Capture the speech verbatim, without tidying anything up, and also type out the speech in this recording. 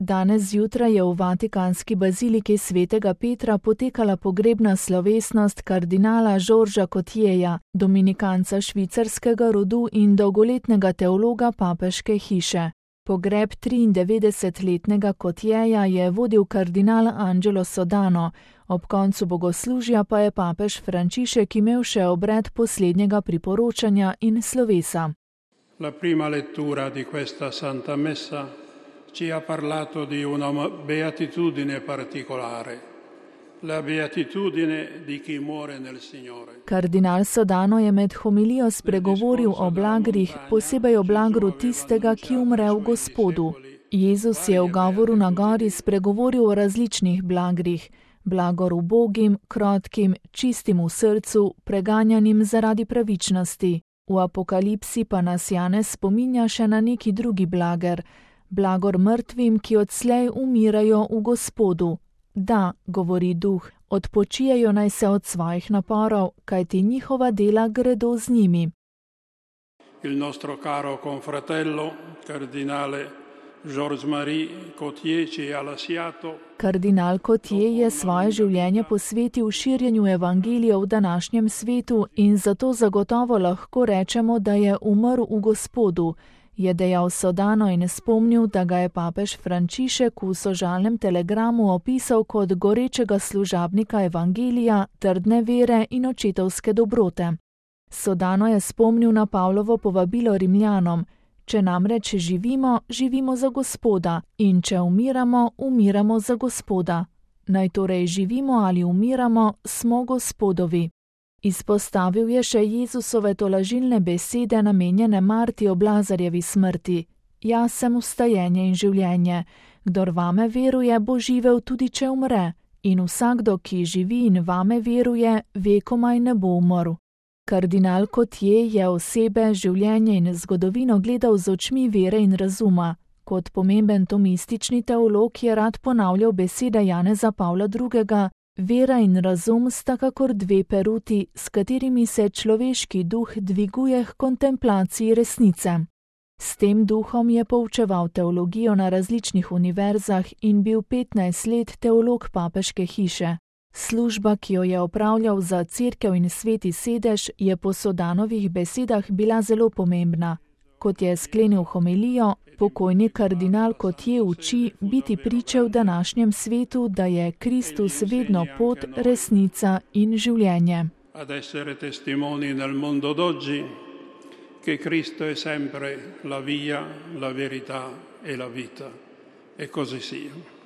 Danes zjutraj je v vatikanski baziliki svetega Petra potekala pogrebna slovesnost kardinala Žorža Cotierja, dominikanca švicarskega rodu in dolgoletnega teologa papeške hiše. Pogreb triindevetdesetletnega Cotierja je vodil kardinal Angelo Sodano, ob koncu bogoslužja pa je papež Frančišek imel še obred poslednjega priporočanja in slovesa. La prima lettura di questa Santa Messa ci ha parlato di una beatitudine particolare, la beatitudine di chi muore nel Signore. Kardinal Sodano je med homilijo spregovoril o blagrih, posebej o blagru tistega, ki umre v Gospodu. Jezus je v govoru na gori spregovoril o različnih blagrih, blagor ubogim, krotkim, čistim v srcu, preganjanim zaradi pravičnosti. V Apokalipsi pa nas Janez spominja še na neki drugi blager, blagor mrtvim, ki odslej umirajo v Gospodu. Da, govori duh, odpočijajo naj se od svojih naporov, kajti njihova dela gredo z njimi. Il nostro caro confratello, kardinale Georges-Marie Cotier ci ha lasciato. Kardinal Cotier je svoje življenje posvetil širjenju evangelija v današnjem svetu in zato zagotovo lahko rečemo, da je umrl v Gospodu, je dejal Sodano in spomnil, da ga je papež Frančišek v sožalnem telegramu opisal kot gorečega služabnika evangelija, trdne vere in očetovske dobrote. Sodano je spomnil na Pavlovo povabilo Rimljanom: če namreč živimo, živimo za Gospoda, in če umiramo, umiramo za Gospoda. Naj torej živimo ali umiramo, smo Gospodovi. Izpostavil je še Jezusove tolažilne besede namenjene Marti ob Lazarjevi smrti: Jaz sem vstajenje in življenje. Kdor vame veruje, bo živel tudi če umre, in vsakdo, ki živi in vame veruje, vekomaj ne bo umrl. Kardinal Cotier je osebe, življenje in zgodovino gledal z očmi vere in razuma. Kot pomemben tomistični teolog je rad ponavljal besede Janeza Pavla drugega: vera in razum sta kakor dve peruti, s katerimi se človeški duh dviguje k kontemplaciji resnice. S tem duhom je poučeval teologijo na različnih univerzah in bil petnajst let teolog papeške hiše. Služba, ki jo je opravljal za Cerkev in Sveti sedež, je po Sodanovih besedah bila zelo pomembna. Kot je sklenil homilijo, pokojni kardinal Cotier uči biti priče v današnjem svetu, da je Kristus vedno pot, resnica in življenje. Ad essere testimoni nel mondo d'oggi che Cristo è sempre la via, la verità e la vita. E così sia.